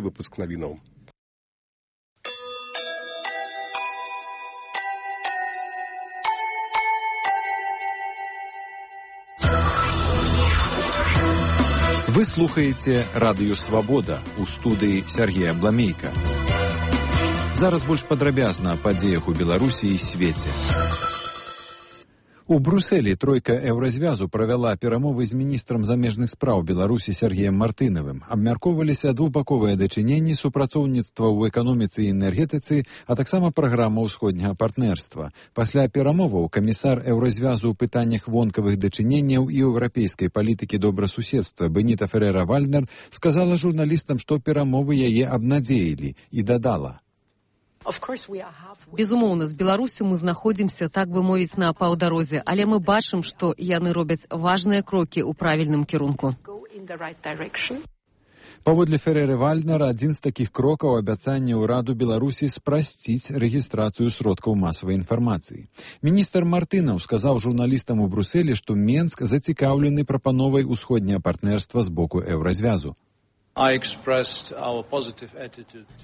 Выпуск новинаў. Вы слухаеце радыё «Свабода» у студыі Сергея Бламейка. Зараз больш падрабязна аб падзеях у Беларусі і свеце. У Брусэлі тройка Еўразвязу правяла перамовы з міністрам замежных спраў Беларусі Сергеем Мартынавым. Абмяркоўваліся двухбаковыя дачыненні, супрацоўніцтва ў эканоміцы і энергетыцы, а таксама праграма ўсходняга партнерства. Пасля перамоваў камісар Еўразвязу ў пытаннях вонкавых дачыненняў і еўрапейскай палітыкі добрасуседства Беніта Ферера-Вальднер сказала журналістам, што перамовы яе абнадзеілі, і дадала: Безумоўна, з Беларусі мы знаходзімся, так бы мовіць, на паўдарозе, але мы бачым, што яны робяць важныя крокі ў правільным кірунку. Паводле Фереры-Вальднера, адзін з такіх крокаў абяцанне ўраду Беларусі спрасціць рэгістрацыю сродкаў масавай інфармацыі. Міністр Мартынаў сказаў журналістам у Брусэлі, што Менск зацікаўлены прапановай усходняга партнерства з боку Еўразвязу.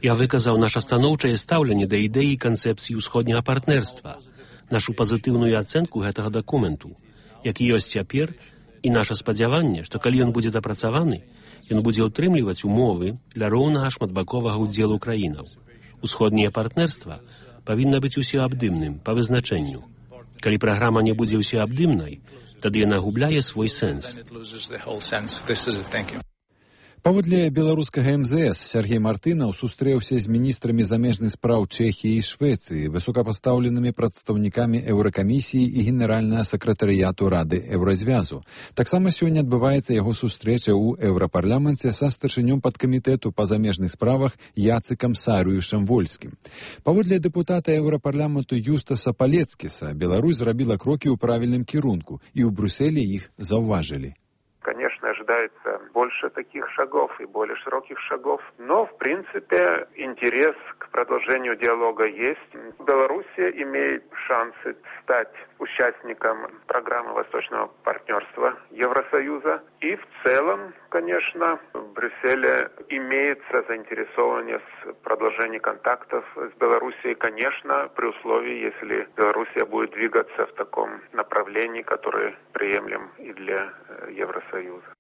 Я выказаў наша станоўчае стаўленне да ідэі канцэпцыі ўсходняга партнерства, нашу пазітыўную ацэнку гэтага дакументу, які ёсць цяпер, і наша спадзяванне, што калі ён будзе дапрацаваны, ён будзе ўтрымліваць умовы для роўнага шматбаковага ўдзелу краінаў. Усходняе партнерства павінна быць усеабдымным па вызначэнню. Калі праграма не будзе усеабдымнай, тады яна губляе свой сэнс. Паводле беларускага МЗС Сергей Мартынаў сустрэўся з міністрамі замежных спраў Чэхіі і Швецыі, высокапастаўленымі прадстаўнікамі Еўракамісіі і генеральнага сакратарыяту Рады Еўразвязу. Таксама сёння адбываецца яго сустрэча ў Еўрапарламенце са старшынём падкамітэту па замежных справах Яцыкам Сарыюшам-Вольскім. Паводле дэпутата Еўрапарламенту Юстаса Палецкіса, Беларусь зрабіла крокі ў правільным кірунку, і ў Брюсселе іх заўважылі. Конечно, ожидается больше таких шагов и более широких шагов, но, в принципе, интерес к продолжению диалога есть. Белоруссия имеет шансы стать участником программы Восточного партнерства Евросоюза. И в целом, конечно, в Брюсселе имеется заинтересованность в продолжении контактов с Белоруссией, конечно, при условии, если Белоруссия будет двигаться в таком направлении, которое приемлем и для Евросоюза.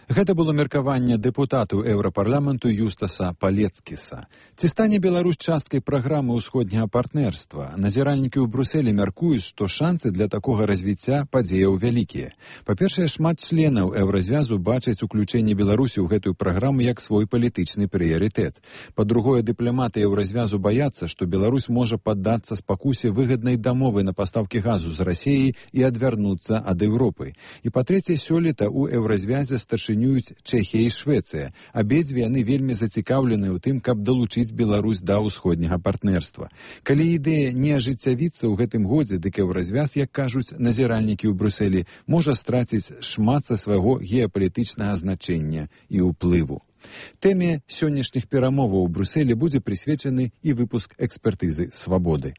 Гэта было меркаванне дэпутату Еўрапарламенту Юстаса Палецкіса. Ці стане Беларусь часткай праграмы ўсходняга партнерства? Назіральнікі ў Брюсселі мяркуюць, што шансы для такога развіцця падзеяў вялікія. Па-першае, шмат членаў Еўразвязу бачаць уключэнне Беларусі ў гэтую праграму як свой палітычны прыярытэт. Па-другое, дыпламаты Еўразвязу баяцца, што Беларусь можа паддацца спакусе выгаднай дамовы на пастаўкі газу з Расіяй і адвярнуцца ад Еўропы. І па-трэцяе, сёлета ў Еўразвязе старшыня Чэхія і Швецыя. Абедзве яны вельмі зацікаўлены ў тым, каб далучыць Беларусь да ўсходняга партнерства. Калі ідэя не ажыццявіцца ў гэтым годзе, дык Еўразвяз, як кажуць назіральнікі ў Брюсселі, можа страціць шмат са свайго геапалітычнага значэння і ўплыву. Тэме сённяшніх перамоваў у Брюсселі будзе прысвечаны і выпуск экспертызы «Свабоды».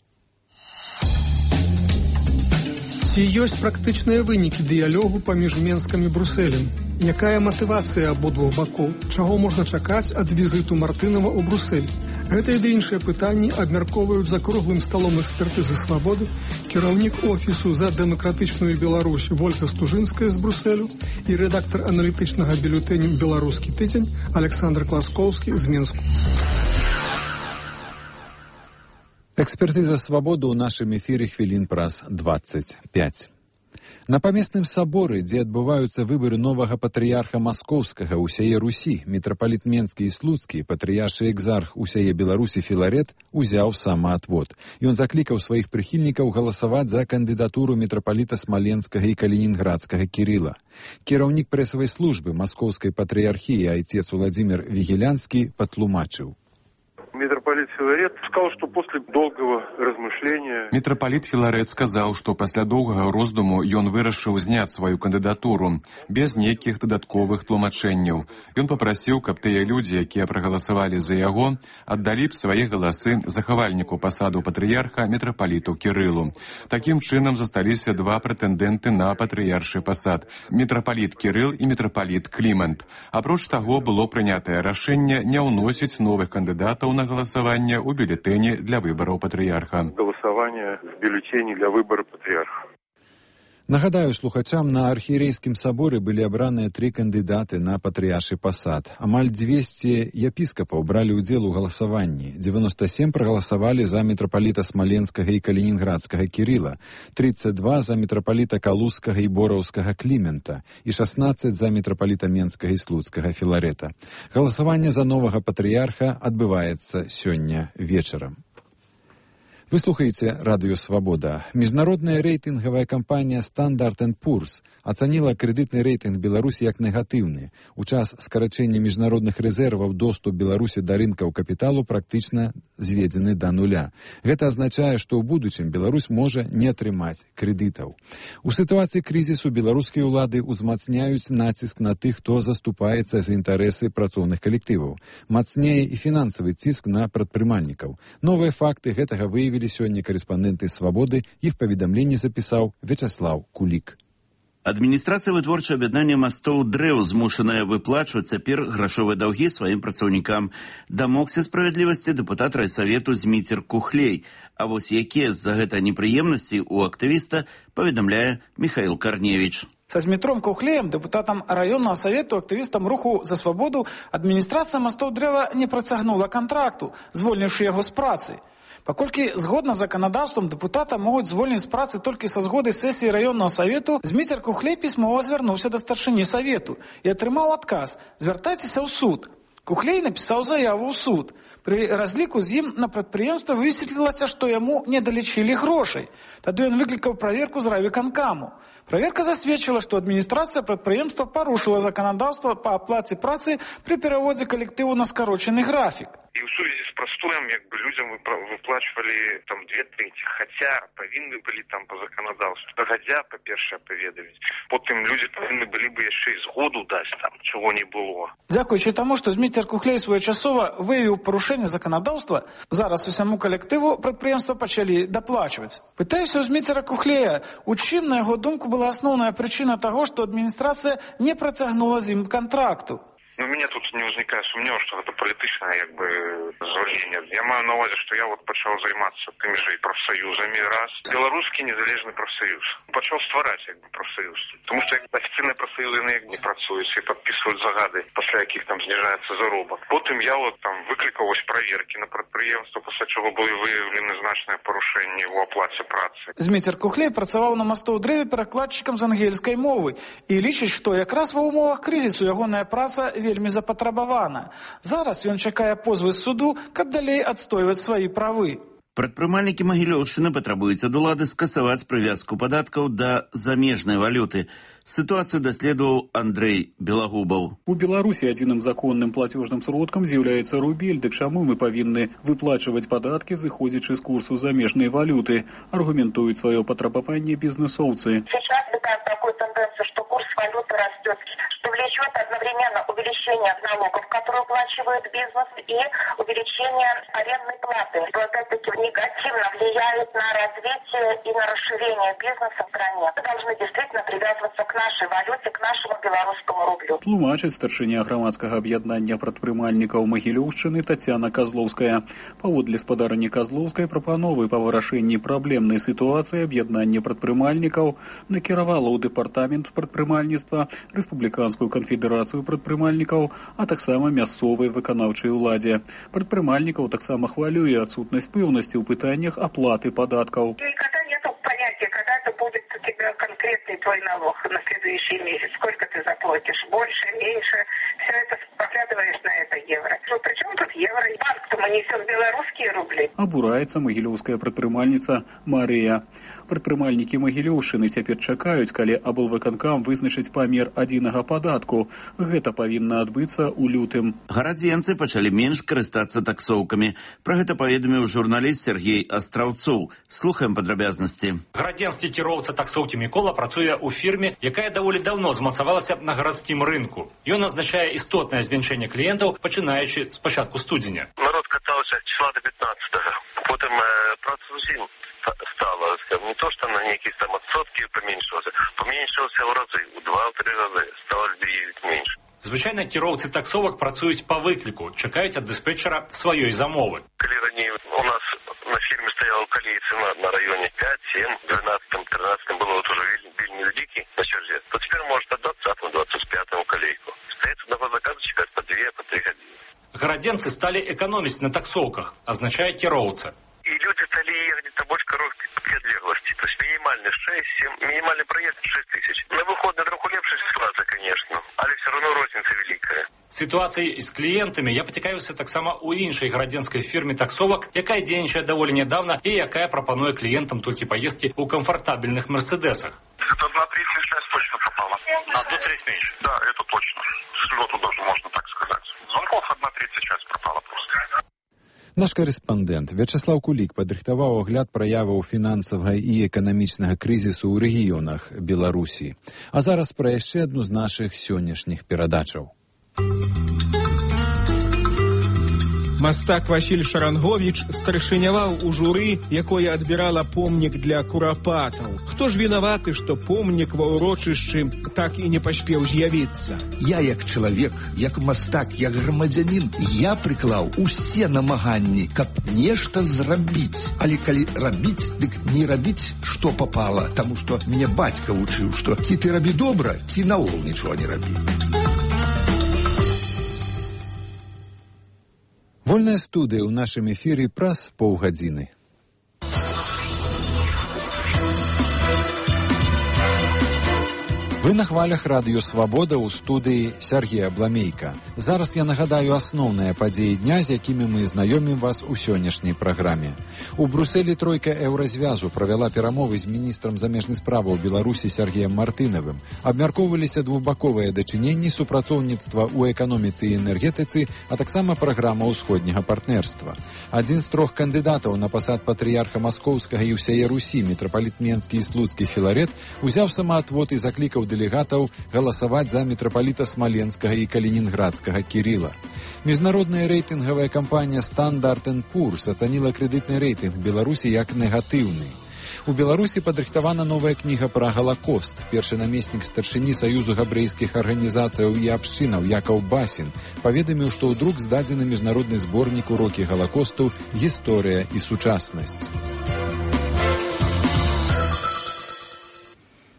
Ці ёсць практычныя вынікі дыялогу паміж Менскам і Брусэлем? Якая матывацыя абодвух бакоў? Чаго можна чакаць ад візіту Мартынава ў Бруссель? Гэта і іншыя пытанні абмяркоўваюць за круглым сталом экспертызы «Свабоды» кіраўнік офісу за дэмакратычную Беларусь Вольга Стужынская з Брусселю і рэдактар аналітычнага бюлетэня «Беларускі тыдзень» Александр Класкоўскі з Менску. Экспертыза «Свабоды» ў нашым эфіры хвілін праз 25. На памесным саборы, дзе адбываюцца выбары новага патрыярха маскоўскага ўсяе Русі, мітрапаліт Менскі і Слуцкі, патрыяршы экзарх усяе Беларусі Філарет узяў самаатвод. Ён заклікаў сваіх прыхільнікаў галасаваць за кандыдатуру мітрапаліта Смаленскага і Калінінградскага Кірыла. Кіраўнік прэсавай службы маскоўскай патрыярхіі айцец Уладзімір Вігілянскі патлумачыў. митрополит Филарет сказал, что после долгого размышления... Митрополит Філарет сказаў, што пасля доўгага роздуму ён вырашыў зняць сваю кандыдатуру без нейкіх дадатковых тлумачэнняў. Ён папрасіў, каб тыя людзі, якія прагаласавалі за яго, аддалі б свае галасы захавальніку пасаду патрыярха мітрапаліту Кірылу. Такім чынам засталіся два прэтэндэнты на патрыяршы пасад – мітрапаліт Кірыл і мітрапаліт Клімент. Апроч таго, было прынятае рашэнне не ўносіць новых кандыдатаў на галасаванне ў бюлетэні для выбараў патрыярха. Голосование в бюллетене для выбора патриарха. Нагадаю слухачам, на архієрейскім саборы былі абраныя 3 кандыдаты на патрыяршы пасад. Амаль 200 епіскапаў бралі ўдзел у галасаванні. 97 прагаласавалі за мітрапаліта Смаленскага і Калінінградскага Кірыла, 32 за мітрапаліта Калузскага і Бораўскага Клімента і 16 за мітрапаліта Менскага і Слуцкага Філарета. Галасаванне за новага патрыярха адбываецца сёння вечарам. Вы слухаеце Радыё Свабода. Міжнародная рэйтынгавая кампанія Standard & Poor's ацаніла крэдытны рэйтынг Беларусі як негатыўны. У час скарачэння міжнародных рэзерваў доступ Беларусі да рынкаў капіталу практычна зведзены да нуля. Гэта азначае, што ў будучым Беларусь можа не атрымаць крэдытаў. У сітуацыі крызісу беларускія ўлады ўзмацняюць націск на тых, хто заступаецца за інтарэсы працоўных калектываў. Мацнее і фінансавы ціск на прадпрымальнікаў. Новыя факты гэтага выявілі сёння корэспандэнты «Свабоды», іх паведамленне запісаў Вячаслаў Кулік. Адміністрацыя вытворчага аб'яднання мастоў дрэў змушаная выплачваць цяпер грашовыя даўгі сваім працаўнікам. Дамогся справядлівасці дэпутат райсавету Зміцер Кухлей. А вось якія з-за гэта непрыемнасці у актывіста, паведамляе Михаил Корневич. Со Змітром Кухлеем, депутатом районного совету, активистом руху «За свободу», адміністрацыя мастоў дрэва не працягнула контракту, звольнивши яго з працы. Паколькі згодна з заканадаўствам дэпутата могуць звольніць з працы толькі са згоды сесіі раённага савету, Зміцер Кухлей пісьмова звярнуўся да старшыні савету і атрымаў адказ: звяртайцеся ў суд. Кухлей напісаў заяву ў суд. Пры разліку з ім на прадпрыемства высветлілася, што яму не далічылі грошай. Тады ён выклікаў праверку з райвыканкаму. Праверка засведчыла, што адміністрацыя прадпрыемства парушыла заканадаўства па аплаце працы пры пераводзе калектыву на скарочаны графік. І ў сувязі з прастоем людзям выплачвалі там 2/3, хаця павінны былі там па заканадаўству. Дагадзя, па-першае, паведаміць. Потым людзі павінны былі бы яшчэ і згоду даць там, чаго не было. Дзякуючы таму, што Зміцер Кухлей своечасова выявіў парушэнне заканадаўства, зараз усяму калектыву прадпрыемства пачалі даплачваць. Пытаюся ў Зміцера Кухлея, у чым, на яго думку, была асноўная прычына таго, што адміністрацыя не працягнула з ім кантракту. У меня тут не возникае сумневу, что это політичне звольнення. Я маю на увазі, що я почав займатися тими ж і профсоюзами раз. Білоруський незалежний профсоюз. Почав створати профсоюз. Тому що офіційні профсоюзи не працюють і підписують загади, після яких там знижається заробіток. Потім я там викликав ось перевірки на підприємство, після чого були виявлені значні порушення у оплаті праці. Зміцер Кухлей працював на мосту у древі перекладчиком з ангельської мови і лічить, що якраз в умовах кризису ягоная праця вельмі запатрабавана. Зараз ён чакае позвы з суду, каб далей адстойваць свае правы. Прадпрымальнікі Магілёўшчыны патрабуюць ад улады скасаваць прывязку падаткаў да замежнай валюты. Ситуацию доследовал Андрей Белогубов. У Беларуси единым законным платежным сродком является рубель, так чему мы повинны выплачивать податки, заходячи с курсу замежной валюты, аргументуют свое потребование бизнесовцы. Сейчас видим такую тенденцию, что курс валюты растет, что влечет одновременно увеличение налогов, которые уплачивает бизнес, и увеличение арендной платы, что опять-таки негативно влияет на развитие и на расширение бизнеса в стране. Мы должны действительно привязываться к нашей валюте, к нашему белорусскому рублю. Тлумачыць старшыня грамадскага аб'яднання прадпрымальнікаў Магілёўшчыны Тацяна Казлоўская. Паводле спадарні Казлоўскай прапановы па вырашэнні праблемнай сітуацыі аб'яднання прадпрымальнікаў накіравала ў дэпартамент прадпрымальніцтва, Рэспубліканскую канфедэрацыю прадпрымальнікаў, а таксама мясцовай выканаўчай уладзе. Прадпрымальнікаў таксама хвалюе адсутнасць пэўнасці ў пытаннях аплаты падаткаў. Когда это будет у тебя конкретный твой налог на следующий месяц, сколько ты заплатишь, больше, меньше, все это поглядываешь на это евро. Ну, причем тут евро? Банк-то мы несем белорусские рубли. Абураецца магілёўская прадпрымальніца Марыя. Прадпрымальнікі Магілёўшчыны цяпер чакаюць, калі аблвыканкам вызначыць памер адзінага падатку. Гэта павінна адбыцца ў лютым. Гарадзенцы пачалі менш карыстацца таксоўкамі. Пра гэта паведаміў журналіст Сергей Астраўцоў. Слухаем падрабязнасці. Гарадзенскі кіроўца таксоўкі Мікола працуе ў фірме, якая даволі даўно змацавалася на гарадскім рынку. Ён азначае істотнае зменшэнне кліентаў, пачынаючы з пачатку студзеня. Народ катаўся числа до 15-го. Потым праца зусім стала, не то, что на некие там отсотки поменьшился в разы, у 2-3 разы, стало людей меньше. Звычайна кіроўцы таксовак працуюць па выкліку, чакаюць ад дыспетчера сваёй замовы. Калі раней у нас на фірме стаяла калей цена на районе 5, 7, 12, 13 было вот уже вельмі вялікі на черзе, то теперь может от 20, 25 калейку. Остается на заказу чекать по 2, по 3 годины. Гарадзенцы сталі экономіць на таксоўках, азначае кіроўца. И люди стали ехать на больше короткой отлеглости. То есть минимальный 6-7, минимальный проезд 6 тысяч. На выходные троху лепшая ситуация, конечно, але все равно розница великая. Ситуацией з клієнтами я поцікавився так само у іншій гарадзенській фірмі таксовок, яка дзейнічае даволі нядаўна і якая прапануе клієнтам толькі поездки у комфортабельных мерседесах. Это 1/3 связь точно пропала. 1/3 меньше? Да, это точно. С лету даже можно так сказать. Звонков 1/3 связь пропала просто. Наш корэспандэнт Вячеслав Кулік падрыхтаваў агляд праяваў фінансавага і эканамічнага крызісу ў рэгіёнах Беларусі. А зараз пра яшчэ адну з нашых сённяшніх перадачаў. Мастак Васіль Шаранговіч старшыняваў у журы, якое адбірала помнік для курапатаў. Хто ж вінаваты, што помнік ва ўрочышчы так і не паспеў з'явіцца? Я як чалавек, як мастак, як грамадзянін, я прыклаў усе намаганні, каб нешта зрабіць. Але калі рабіць, дык не рабіць, што папала, таму што мне бацька вучыў, што ці ты рабі добра, ці наогул нічога не рабі. Вольная студыя ў нашым эфіры праз паўгадзіны. Вы на хвалях радыё «Свабода» ў студыі Сергея Бламейка. Зараз я нагадаю асноўныя падзеі дня, з якімі мы знаёмім вас у сённяшняй праграме. У Брусэлі тройка еўразвязу правяла перамовы з міністрам замежных справаў Беларусі Сергеем Мартынавым. Абмяркоўваліся двухбаковыя дачыненні, супрацоўніцтва ў эканоміцы і энергетыцы, а таксама праграма ўсходняга партнерства. Адзін з 3 кандыдатаў на пасад патрыярха Маскоўскага і ўсяе Русі, мітрапаліт Менскі і Слуцкі Філарет, узяў самаатвод і заклікаў дэлегатаў галасаваць за мітрапаліта Смаленскага і Калінінградскага Кірыла. Міжнародная рэйтынгавая кампанія Standard & Poor's ацаніла крэдытны рэйтынг Беларусі як негатыўны. У Беларусі падрыхтавана новая кніга пра Галакост. Першы намеснік старшыні Саюзу габрэйскіх арганізацыяў і абшчынаў Якаў Басін паведаміў, што ў друк здадзены міжнародны зборнік урокі Галакосту «Гісторыя і сучаснасць».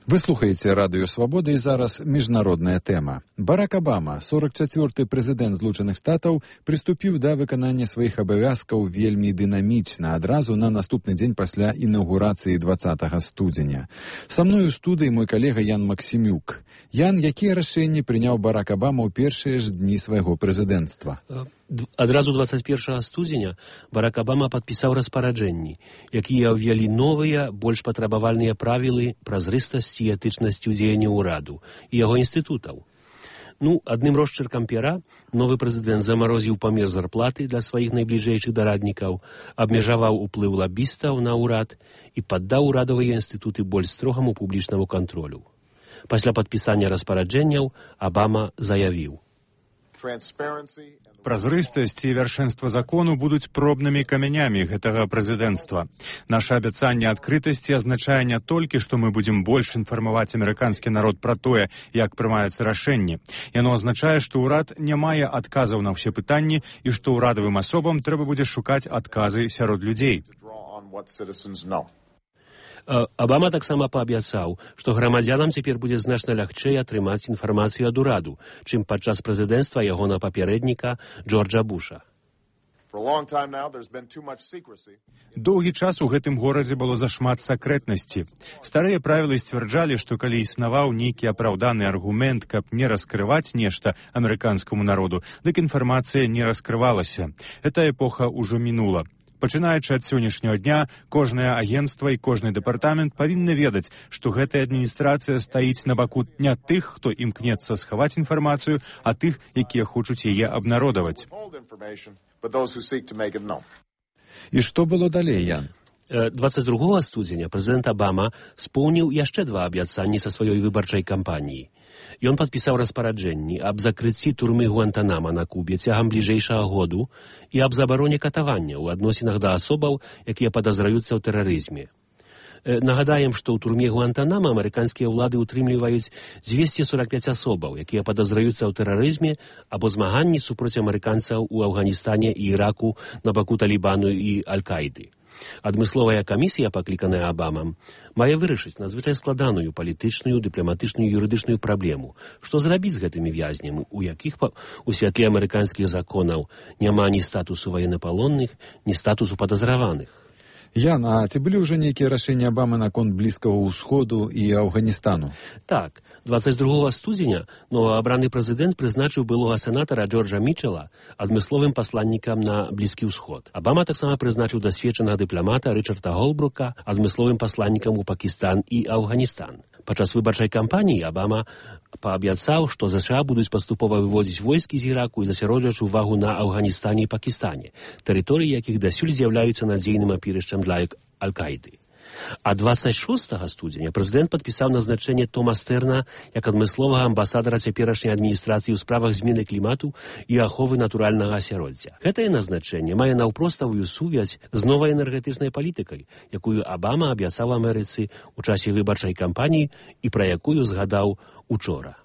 Вы слухаеце радыё «Свабода» і зараз міжнародная тэма. Барак Абама, 44-й прэзідэнт Злучаных Штатаў, прыступіў да выканання сваіх абавязкаў вельмі дынамічна, адразу на наступны дзень пасля інаўгурацыі 20 студзеня. Са мной у студыі мой калега Ян Максімюк. Ян, якія рашэнні прыняў Барак Абама ў першыя ж дні свайго прэзідэнцтва? Адразу 21 студзеня Барак Абама падпісаў распараджэнні, якія ўвялі новыя, больш патрабавальныя правілы празрыстасці і этычнасці ў дзеянні ўраду і яго інстытутаў. Адным росчыркам пера новы прэзідэнт замарозіў памер зарплаты для сваіх найбліжэйшых дараднікаў, абмежаваў уплыў лабістаў на ўрад і паддаў урадавыя інстытуты больш строгаму публічнаму кантролю. Пасля падпісання распараджэнняў Абама заявіў: Празрыстасць і вяршэнства закону будуць пробнымі камянямі гэтага прэзідэнцтва. Наша абяцанне адкрытасці азначае не толькі, што мы будзем больш інфармаваць амерыканскі народ пра тое, як прымаюцца рашэнні. Яно азначае, што ўрад не мае адказаў на ўсе пытанні і што ўрадавым асобам трэба будзе шукаць адказы сярод людзей. Абама таксама паабяцаў, што грамадзянам цяпер будзе значна лягчэй атрымаць інфармацыю ад ураду, чым падчас прэзідэнцтва ягонага папярэдніка Джорджа Буша. Доўгі час у гэтым горадзе было зашмат сакрэтнасці. Старыя правілы сцвярджалі, што калі існаваў нейкі апраўданы аргумент, каб не раскрываць нешта амерыканскаму народу, дык інфармацыя не раскрывалася. Эта эпоха ўжо мінула. Пачынаючы ад сённяшняга дня, кожнае агенцтва і кожны дэпартамент павінны ведаць, што гэтая адміністрацыя стаіць на баку не тых, хто імкнецца схаваць інфармацыю, а тых, якія хочуць яе абнародаваць. І што было далей, Ян? 22 студзеня прэзідэнт Абама споўніў яшчэ 2 абяцанні са сваёй выбарчай кампаніі. Ён падпісаў распараджэнні аб закрыцці турмы Гуантанама на Кубе цягам бліжэйшага году і аб забароне катавання ў адносінах да асобаў, якія падазраюцца ў тэрарызме. Нагадаем, што ў турме Гуантанама амерыканскія ўлады ўтрымліваюць 245 асобаў, якія падазраюцца ў тэрарызме або змаганні супроць амерыканцаў у Афганістане і Іраку на баку Талібану і Аль-Каіды. Адмысловая камісія, пакліканая Абамам, мае вырашыць надзвычай складаную палітычную, дыпламатычную, юрыдычную праблему. Што зрабіць з гэтымі вязнямі, у якіх у святле амерыканскіх законаў няма ні статусу военнапалонных, ні статусу падазраваных. Ян, а ці былі ўжо нейкія рашэнні Абамы наконт Блізкага ўсходу і Афганістану? Так, 22 студзеня новаабраны прэзідэнт прызначыў былога сенатара Джорджа Мічела адмысловым пасланнікам на Блізкі ўсход. Абама таксама прызначыў дасведчанага дыпламата Рычарда Голбрука адмысловым пасланнікам у Пакістан і Афганістан. Падчас выбарчай кампаніі Абама паабяцаў, што ЗША будуць паступова выводзіць войскі з Іраку і засяроджваць увагу на Афганістане і Пакістане, тэрыторыі якіх дасюль з'яўляюцца надзейным апірышчам для Аль-Каіды. А 26 студзеня прэзідэнт падпісаў назначэнне Тома Стэрна як адмысловага амбасадара цяперашняй адміністрацыі ў справах змены клімату і аховы натуральнага асяроддзя. Гэтае назначэнне мае наўпроставую сувязь з новай энергетычнай палітыкай, якую Абама абяцаў Амерыцы ў часе выбарчай кампаніі і пра якую згадаў учора.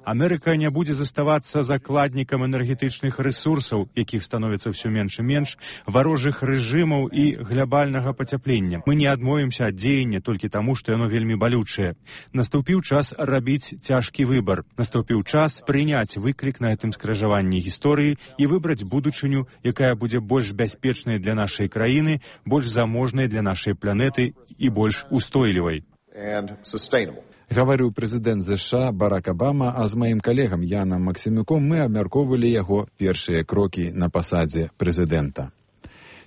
Амерыка не будзе заставацца закладнікам энергетычных рэсурсаў, якіх становіцца ўсё менш і менш, варожых рэжымаў і глобальнага пацяплення. Мы не адмовімся ад дзеяння толькі таму, што яно вельмі балючае. Наступіў час рабіць цяжкі выбар. Наступіў час прыняць выклік на гэтым скрыжаванні гісторыі і выбраць будучыню, якая будзе больш бяспечнай для нашай краіны, больш заможнай для нашай планеты і больш устойлівай. Гаварыў прэзідэнт ЗША Барак Абама, а з маім калегам Янам Максімюком мы абмяркоўвалі яго першыя крокі на пасадзе прэзідэнта.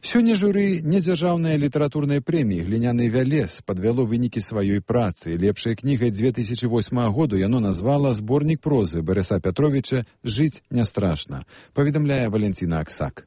Сёння журы недзяржаўнай літаратурнай прэміі «Гліняны вялес» падвяло вынікі сваёй працы. Лепшай кнігай 2008 году яно назвала зборнік прозы Барыса Пятровіча «Жыць не страшна», паведамляе Валентина Аксак.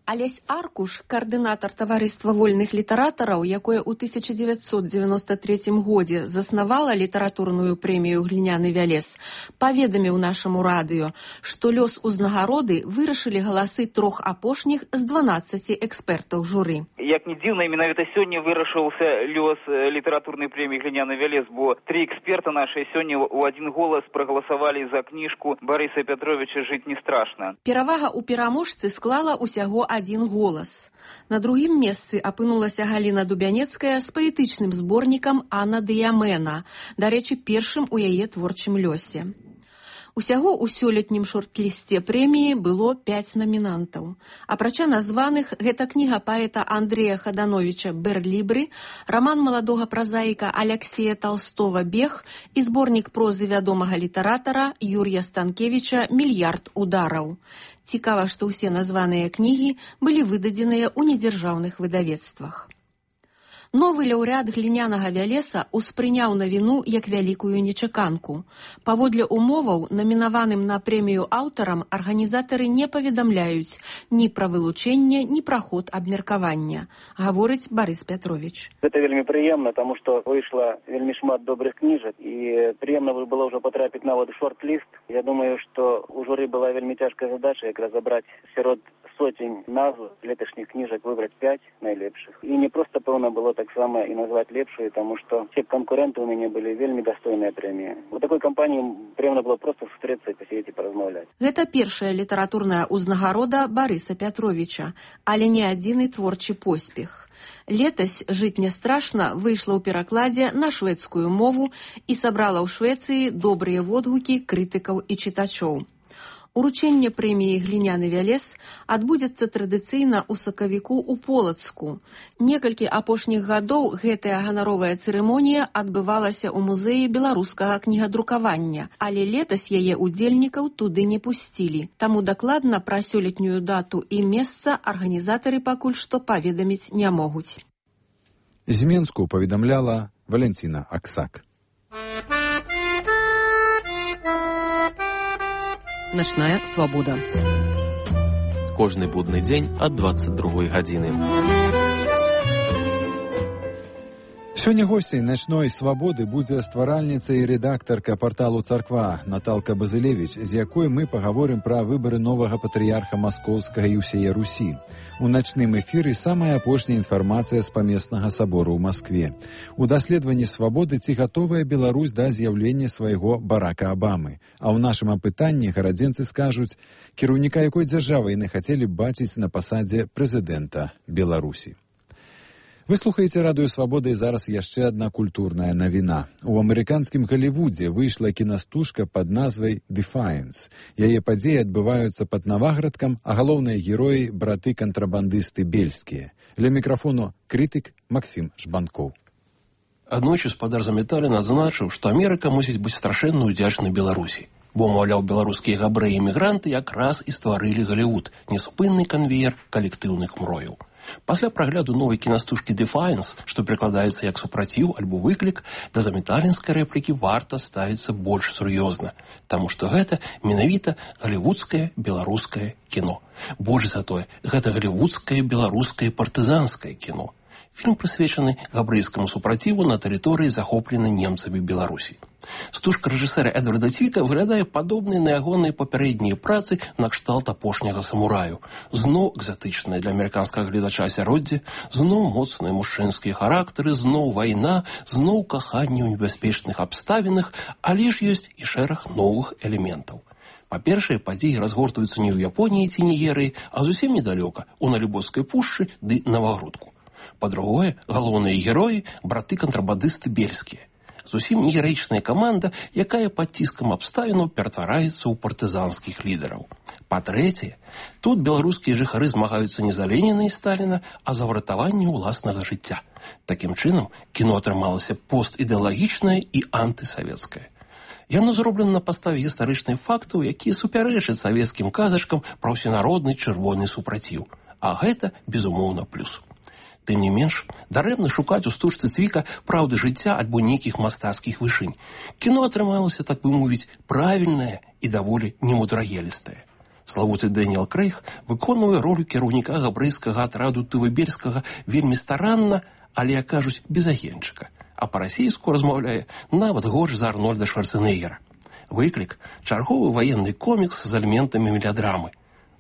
Алесь Аркуш, каардынатар таварыства вольных літаратараў, якое ў 1993 годзе заснавала літаратурную прэмію «Гліняны вялес», паведаміў нашаму радыё, што лёс узнагароды вырашылі галасы 3 апошніх з 12 экспертаў журы. Як не дзіўна, менавіта сёння вырашыўся лёс літаратурнай прэміі «Гліняны вялес», бо 3 эксперта нашыя сёння ў адзін голас прагаласавалі за кніжку Барыса Пятровіча «Жыць не страшна». Перавага ў пераможцы склала ўсяго один голас. На другім месцы апынулася Галіна Дубянецкая з паэтычным зборнікам «Анна Дыямена», дарэчы, першым у яе творчым лёсе. Усяго ў сёлетнім шорт-лісце прэміі было 5 намінантаў. Апрача названых, гэта кніга паэта Андрэя Хадановіча «Берлібры», раман маладога празаіка Аляксея Талстова «Бег» і зборнік прозы вядомага літаратара Юрія Станкевіча «Мільярд удараў». Цікава, што ўсе названыя кнігі былі выдадзеныя ў недзяржаўных выдавецтвах. Новы лаўрэат «Глінянага вялеса» успрыняў навіну як вялікую нечаканку. Паводле умоваў, намінаваным на прэмію аўтарам, арганізатары не паведамляюць ні пра вылучэнне, ні пра ход абмеркавання, гаворыць Барыс Пятровіч. Гэта вельмі прыемна, таму што выйшла вельмі шмат добрых кніжак, і прыемна было ўжо патрапіць нават у шорт-ліст. Я думаю, што у журы была вельмі цяжкая задача якраз забраць сярод сотень назв леташніх кніжак, выбраць 5 найлепшых. І не проста, пэўна, было таксама і назваць лепшую, таму што все канкуренты ў мяне былі вельмі дастойныя прэміі. У такой кампаніі прыемна было проста сустрэцца і пасядзець і паразмаўляць. Гэта першая літаратурная ўзнагарода Барыса Пятровіча, але не адзіны творчы поспех. Летась «Жыць не страшна» выйшла ў перакладзе на шведскую мову і сабрала ў Швецыі добрыя водгукі крытыкаў і чытачоў. Уручэнне прэміі «Гліняны вялез» адбудзецца традыцыйна ў сакавіку ў Полацку. Некалькі апошніх гадоў гэтая ганаровая цырымонія адбывалася ў музеі беларускага кнігадрукавання, але летась яе удзельнікаў туды не пусцілі. Таму дакладна пра сёлетнюю дату і месца арганізатары пакуль што паведаміць не могуць. З Менску паведамляла Валентина Аксак. Начная свабода. Кожны будны дзень ад 22 гадзіны. Сёння госцей начной свабоды будзе стваральніца і рэдактарка парталу «Царква» Наталка Базылевіч, з якой мы пагаворым пра выбары новага патрыярха Маскоўскага і ўсяе Русі. У начным эфіры самая апошняя інфармацыя з памеснага сабору ў Маскве. У даследаванні свабоды ці гатовая Беларусь да з'яўлення свайго Барака Абамы. А ў нашым апытанні гарадзенцы скажуць, кіраўніка якой дзяржавы яны хацелі б бачыць на пасадзе прэзідэнта Беларусі. Вы слухаеце радыё «Свабода» і зараз яшчэ адна культурная навіна. У амерыканскім Галівудзе выйшла кінастужка пад назвай «Defiance». Яе падзеі адбываюцца пад Наваградкам, а галоўныя героі – браты-кантрабандысты бельскія. Ля мікрафону крытык Максім Жбанкоў. Аднойчы спадар Заметалін адзначыў, што Амерыка мусіць быць страшэнна ўдзячнай Беларусі. Бо, маўляў, беларускія габрэі-эмігранты якраз і стварылі Галівуд – неспынны канвеер калектыўных мрояў. Пасля прагляду новай кінастужкі «Defiance», што прыкладаецца як супраціў альбо выклік, да заметалінскай рэплікі варта ставіцца больш сур'ёзна, таму што гэта менавіта галівудскае беларускае кіно. Больш за тое, гэта галівудскае беларускае партызанскае кіно. Фільм прысвечаны габрэйскаму супраціву на тэрыторыі, захопленай немцамі Беларусі. Стужка рэжысэра Эдварда Цвіка выглядае падобнай на ягоныя папярэднія працы на кшталт апошняга самураю. Зноў экзатычнае для амерыканскага гледача асяроддзе, зноў моцныя мужчынскія характары, зноў вайна, зноў каханне ў небяспечных абставінах, але ж ёсць і шэраг новых элементаў. Па-першае, падзеі разгортваюцца не ў Японіі ці Нігерыі, а зусім недалёка, у Налібоцкай пушчы ды Навагрудку. Па-другое, галоўныя героі – браты-кантрабандысты бельскія. Зусім не гераічная каманда, якая пад ціскам абставінаў ператвараецца ў партызанскіх лідараў. Па-трэцяе, тут беларускія жыхары змагаюцца не за Леніна і Сталіна, а за выратаванне ўласнага жыцця. Такім чынам, кіно атрымалася постідэалагічнае і антысавецкае. Яно зроблена на падставе гістарычных фактаў, якія супярэчаць савецкім казачкам пра ўсенародны чырвоны супраціў. А гэта, безумоўна, плюс. Тым не менш, дарэмна шукаць у стужцы Цвіка праўды жыцця альбо нейкіх мастацкіх вышынь. Кіно атрымалася, так бы мовіць, правільнае і даволі немудрагелістае. Славуты Дэніел Крэйг выконвае ролю кіраўніка габрэйскага атраду Тывыберскага вельмі старанна, але, як кажуць, без агенчыка. А па-расейску размаўляе нават горш за Арнольда Шварцэнеггера. Выклік – чарговы ваенны комікс з элементамі мелядрамы.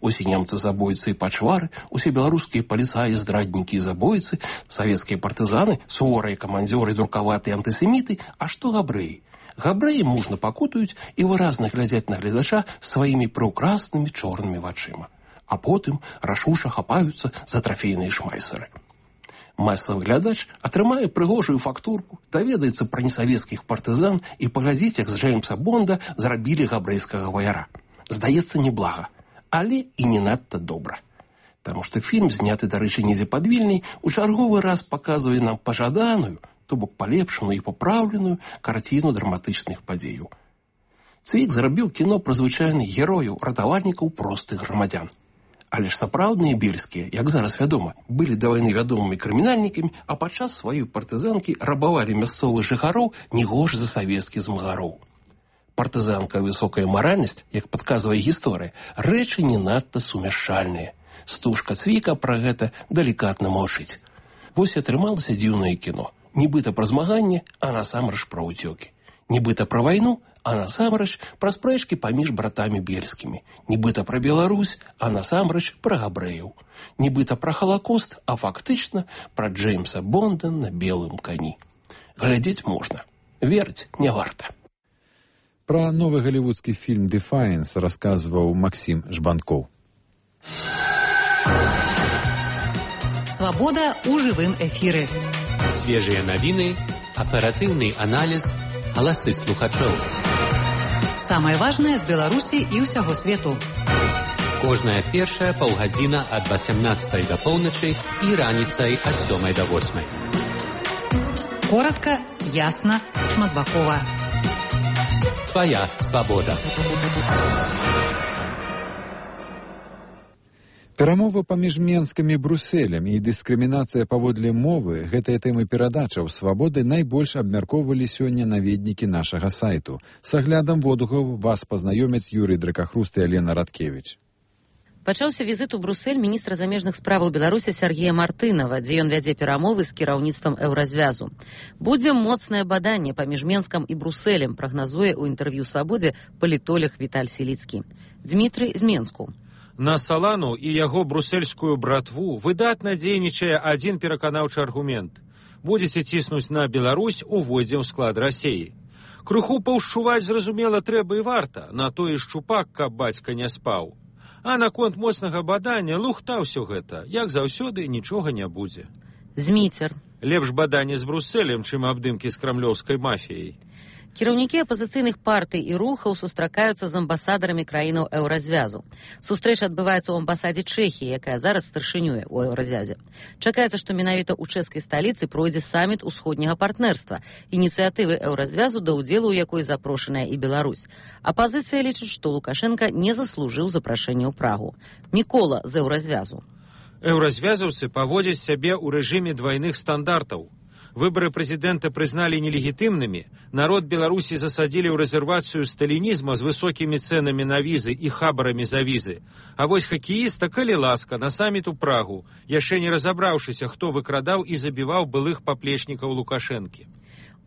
Усе немцы забойцы і пачвары, усе беларускія паліцаі, здраднікі і забойцы, савецкія партызаны, суворыя камандзёры, друкаватыя антысеміты, а што габрэі? Габрэі мужна пакутаюць і выразна глядзяць на гледача сваімі прыўкраснымі чорнымі вачыма. А потым рашуша хапаюцца за трафейныя шмайсеры. Масавы глядач атрымае прыгожую фактурку, даведаецца пра несавецкіх партызан і паглядзіць, як з Джеймса Бонда зрабілі габрэйскага ваяра. Здаецца, неблага. Але і не надта добра. Таму што фільм, зняты, дарэчы, недзе пад Вільняй, у чарговы раз паказвае нам пажаданую, то бок палепшаную і папраўленую карціну драматычных падзеяў. Цвік зрабіў кіно пра звычайных герояў, ратавальнікаў простых грамадзян. Але ж сапраўдныя бельскія, як зараз вядома, былі да вайны вядомымі крымінальнікамі, а падчас сваёй партызанкі рабавалі мясцовых жыхароў не горш за савецкіх змагароў. Партызанка высокая маральнасць, як падказвае гісторыя, рэчы не надта сумяшчальныя. Стужка Цвіка пра гэта далікатна маўчыць. Вось і атрымалася дзіўнае кіно. Нібыта пра змаганне, а насамрэч пра ўцёкі. Нібыта пра вайну, а насамрэч пра спрэчкі паміж братамі бельскімі. Нібыта пра Беларусь, а насамрэч пра габрэяў. Нібыта пра Халакост, а фактычна пра Джеймса Бонда на белым кані. Глядзець можна. Верыць не варта. Пра новы галівудскі фільм «Defiance» расказваў Максім Жбанкоў. Свабода ў жывым эфіры. Свежыя навіны, аператыўны аналіз, галасы слухачоў. Самае важнае з Беларусі і ўсяго свету. Кожная першая паўгадзіна ад 18 да поўначы і раніцай ад 7 да 8. Коротка, ясна, шматбакова. Твоя свабода. Перамовы паміж Менскам і Брусэлем і дыскрымінацыя паводле мовы, гэтыя тэмы перадачаў свабоды найбольш абмяркоўвалі сёння наведнікі нашага сайту. С аглядам водгулаў вас пазнаёмяць Юрый Дракахруст і Алена Радкевіч. Пачаўся візіт у Брусэль міністра замежных справаў Беларусі Сергея Мартынова, дзе ён вядзе перамовы з кіраўніцтвам Еўразвязу. Будзе моцнае баданне паміж Менскам і Брусэлем, прагназуе ў інтэрв'ю «Свабодзе» палітолог Віталь Сіліцкі. Дмітрый з Менску. На Салану і яго брусельскую братву выдатна дзейнічае адзін пераканаўчы аргумент. Будзеце ціснуць на Беларусь, увойдзем у склад Расіі. Крыху паўшчуваць, зразумела, трэба і варта, на той шчупак, каб бацька не спаў. А наконт моцнага бадання лухта ўсё гэта. Як заўсёды, нічога не будзе. Зміцер. Лепш баданне з Брусэлем, чым абдымкі з крамлёўскай мафіяй. Кіраўнікі апазіцыйных партый і рухаў сустракаюцца з амбасадарамі краінаў Еўразвязу. Сустрэча адбываецца ў амбасадзе Чэхіі, якая зараз старшынюе ў Еўразвязе. Чакаецца, што менавіта ў чэшскай сталіцы пройдзе саміт усходняга партнерства, ініцыятывы Еўразвязу, да ўдзелу ў якой запрошаная і Беларусь. Апазіцыя лічыць, што Лукашенка не заслужыў запрашэння ў Прагу. Мікола з Еўразвязу. Еўразвязаўцы паводзяць сябе ў рэжыме двайных стандартаў. Выборы прэзідэнта прызналі нелегітымнымі, народ Беларусі засадзілі ў рэзервацыю сталінізма з высокімі цэнамі на візы і хабарамі за візы. А вось хакеіста, калі ласка, на саміт у Прагу, яшчэ не разабраўшыся, хто выкрадаў і забіваў былых паплечнікаў Лукашэнкі.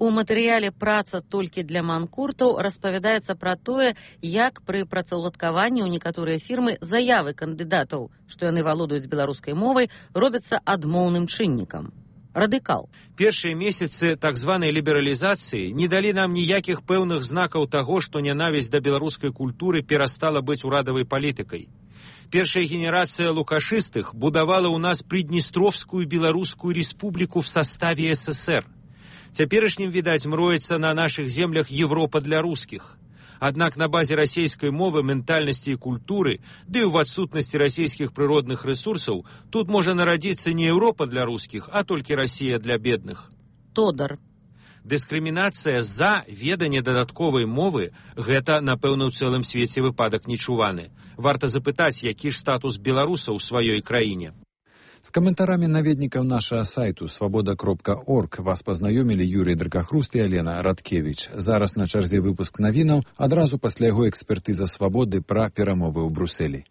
У матэрыяле «Праца толькі для манкуртаў» распавядаецца пра тое, як пры працаўладкаванні ў некаторыя фірмы заявы кандыдатаў, што яны валодаюць беларускай мовай, робяцца адмоўным чыннікам. Радыкал. Першыя месяцы так званай лібералізацыі не далі нам ніякіх пэўных знакаў таго, што нянавісць да беларускай культуры перастала быць урадавай палітыкай. Першая генерацыя лукашыстых будавала ў нас Приднестровскую беларускую республіку в составе СССР. Цяперашнім, відаць, мроецца на нашых землях Европа для рускіх. Аднак на базе расійскай мовы, ментальнасці і культуры, ды і ў адсутнасці расійскіх прыродных рэсурсаў, тут можа нарадзіцца не Еўропа для рускіх, а толькі Расія для бедных. Тодар. Дыскрымінацыя за веданне дадатковай мовы – гэта, напэўна, ў цэлым свеце выпадак нечуваны. Варта запытаць, які ж статус беларусаў у сваёй краіне. З каментарамі наведнікаў нашага сайту свабода.орг вас пазнаёмілі Юрый Дракахруст і Алена Радкевіч. Зараз на чарзе выпуск навінаў, адразу пасля яго экспертыза свабоды пра перамовы ў Брусэлі.